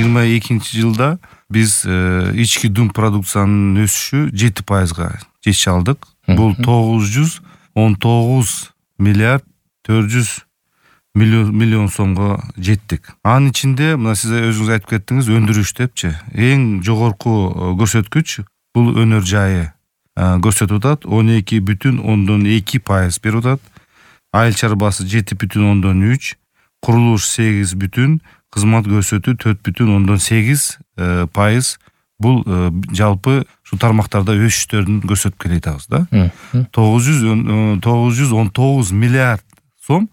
2022 биз ички дум продукциянын өсүшү 7%га жетише алдык. Бул 919 миллиард 400 миллион сомго жеттик. Анын ичинде мына сиз өзүңүз айтып кеттиңиз, өндүрүш депчи. Эң жогорку көрсөткүч бул өнөр жайы көрсөтүп атат, 12,2% берип атат. Айыл чарбасы 7,3%, курулуш 8%, кызмат көрсөтүү 4,8%. Бул жалпы ушул тармактарда өсүштөрүн көрсөтүп келе жатабыз да. 919 миллиард сом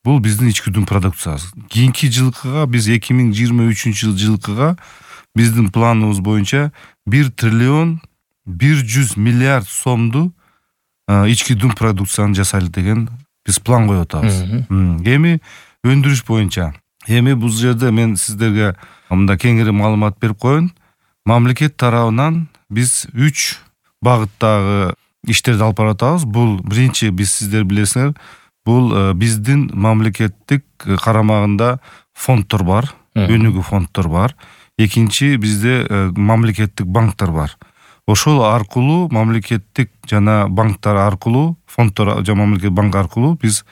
бул биздин ички дум продукциясы. Кийинки жылкыга биз 2023 жылкыга биздин планыбыз боюнча 1 триллион 100 миллиард сомду ички дум продукцияны жасайлы деген биз план коюп атабыз. Эми өндүрүш боюнча, бул жерде мен сиздерге мында кеңири маалымат берип коеюн. Мамлекет тарабынан биз 3 багыттагы иштерди алып баратабыз. Бул биринчи, биз сиздер билесиңер, бул биздин мамлекеттик карамагында фонддор бар, өнүгүү фонддор бар. Экинчи, бизде мамлекеттик банктар бар. Ошол аркылуу мамлекеттик жана банктар аркылуу, фонддор жана мамлекеттик банк аркылуу биз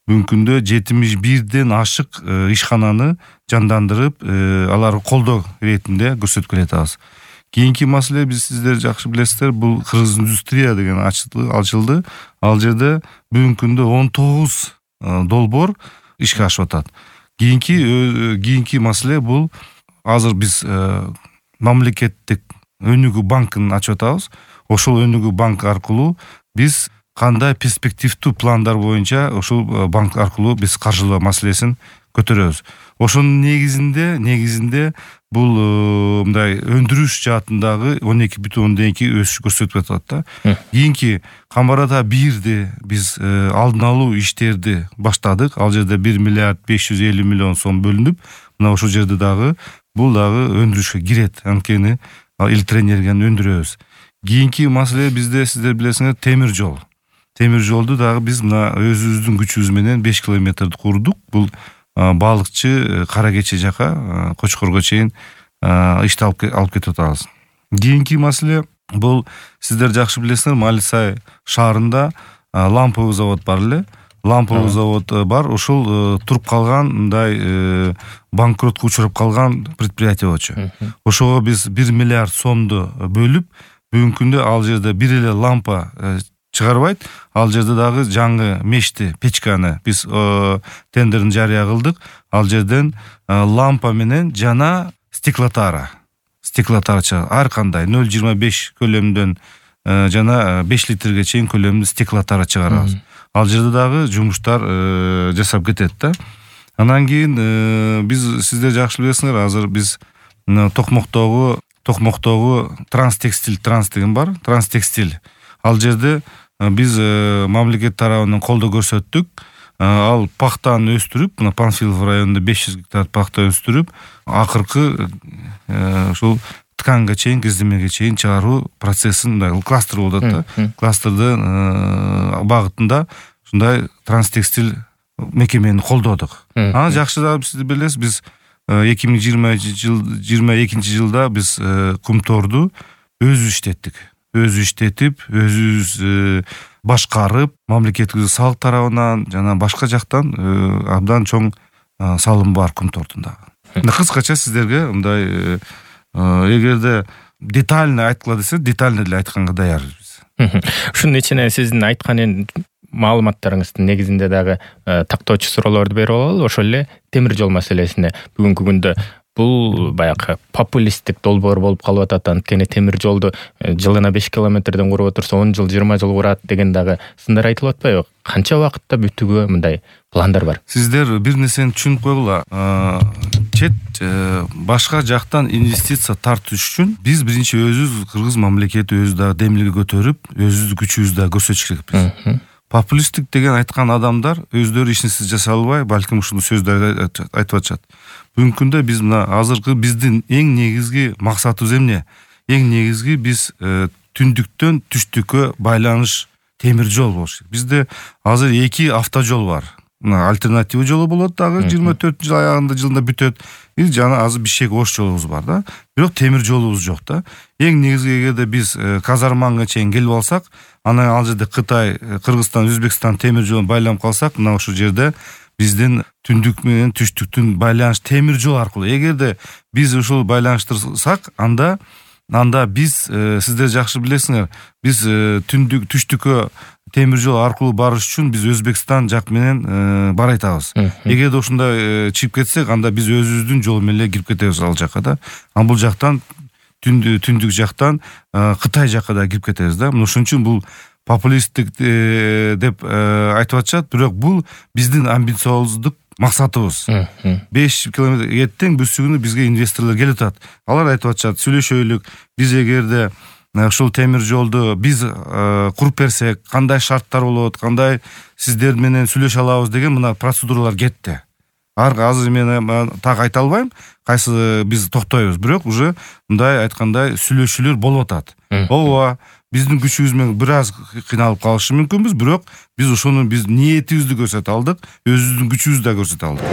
бүгүнкү күндө 71ден ашык ишкананы жандандырып, аларга колдоо иретинде көрсөтүп келе жатабыз. Кийинки маселе, биз сиздер жакшы билесиздер, бул Кыргыз индустрия деген ачылды. Ал жерде бүгүнкү күндө 19 долбоор ишке ашып атат. Кийинки маселе бул азыр биз мамлекеттик өнүгүү банкын ачып атабыз. Ошол өнүгүү банк аркылуу биз кандай перспективдүү пландар боюнча ошол банк аркылуу биз каржылоо маселесин көтөрөбүз. Ошонун негизинде бул мындай өндүрүш жаатындагы 12,2 өсүш көрсөтүп атат да. Кийинки Камбарата 1-ди биз алдын алуу иштерди баштадык. Ал жерде 1 миллиард 550 миллион сом бөлүнүп, мына ошол жерде бул дагы өндүрүшкө кирет. Анткени электроэнергияны өндүрөбүз. Кийинки маселе бизде, сиздер билесиңер, темир жол. Темир жолду дагы биз мына өзүбүздүн күчүбүз менен 5 километрди курдук. Бул балыкчы Кара Кече жака, Кочкорго чейин ишти алып кетип атабыз. Кийинки маселе бул сиздер жакшы билесиңер, Малисай шаарында ламповый завод бар эле. Ламповый завод бар. Ошол туруп калган, мындай банкротко учурап калган предприятие болчу. Ошого биз 1 миллиард сомду бөлүп, бүгүнкү күндө ал жерде бир эле лампа чыгарбайт. Ал жерде дагы жаңы мешти, печканы биз тендерин жарыя кылдык. Ал жерден лампа менен жана стеклотара чыгат. Ар кандай 0,25 көлөмдөн жана 5 литрге чейин көлөмдүү стеклотара чыгарабыз. Ал жерде дагы жумуштар жасап кетет да. Анан кийин биз, сиздер жакшы билесиңер, азыр биз Токмоктогу Транс деген бар. Транстекстиль. Ал жерде биз мамлекет тарабынан колдоо көрсөттүк. Ал пахтаны өстүрүп, мына Панфилов районунда 500 гектар пахта өстүрүп, акыркы ушул тканга чейин, кездемеге чейин чыгаруу процессин кластер болуп атат да. Кластердын багытында ушундай Транстекстиль мекемени колдодук. Аны жакшы да сиз билесиз, биз 2022 жылда биз Кумторду өзүбүз иштетип, өзүбүз башкарып, мамлекеттик салык тарабынан жана башка жактан абдан чоң салым бар Кумтордун дагы. Кыскача сиздерге мындай, эгерде детально айткыла десе, детально деле айтканга даярбыз. Ушунун ичине сиздин айткан маалыматтарыңыздын негизинде дагы тактоочу суроолорду берип алалы. Ошол эле темир жол маселесине бүгүнкү күндө бул баягы популисттик долбоор болуп калып атат. Анткени темир жолду жылына 5 километрден куруп отурса 10 жыл, 20 жыл курат деген дагы сындар айтылып атпайбы? Канча убакытта бүтүүгө мындай пландар бар? Сиздер бир нерсени түшүнүп койгула. Чет башка жактан инвестиция тартыш үчүн биз биринчи өзүбүз, Кыргыз мамлекети өзү дагы демилге көтөрүп, өзүбүздүн күчүбүздү дагы көрсөтүш керекпиз. Популисттик деген айткан адамдар өздөрү ишинсиз жашай албай, балким ушул сөздөрдү айтып атышат. Бүгүнкү күндө биз мына азыркы биздин эң негизги максатыбыз эмне? Эң негизги биз түндүктөн түштүккө байланыш темир жол болуш керек. Бизде азыр 2 автожол бар. альтернатива жолу болот дагы 24 жыл аягында жылында бүтөт. Жана азыр Бишкек Ош жолубуз бар да. Бирок темир жолубуз жок да. Эң негизги эгерде биз Казарманга чейин келип алсак, анан ал жерде Кытай, Кыргызстан, Өзбекстан темир жолун байланып калсак, мына ошол жерде биздин түндүк менен түштүктүн байланыш темир жол аркылуу. Эгерде биз ушул байланыштырсак, анда биз сиздер жакшы билесиңер, биз түштүккө темир жол аркылуу барыш үчүн биз Өзбекстан жак менен бара айтабыз. Эгерде ушундай чыгып кетсек, анда биз өзүбүздүн жол менен кирип кетебиз ал жакка да. Ал бул жактан түндүк жактан Кытай жакка да кирип кетебиз да. Ошон үчүн бул популисттик деп айтып атышат, бирок бул биздин амбициоздук максатыбыз. 5 километр эртең бүсүгүнү бизге инвесторлор келип атат. Алар айтып атышат, сүйлөшөйлүк, биз эгерде ушул темир жолду биз куруп берсек, кандай шарттар болот, кандай сиздер менен сүйлөшө алабыз деген мына процедуралар кетти. Азыр мен так айта албайм, кайсы биз токтойбуз, бирок уже мындай айткандай сүйлөшүүлөр болуп атат. Ооба, биздин күчүбүз менен бир аз кыйналып калышы мүмкүнбүз, бирок биз ошону биз ниетибизди көрсөтө алдык, өзүбүздүн күчүбүздү да көрсөтө алдык.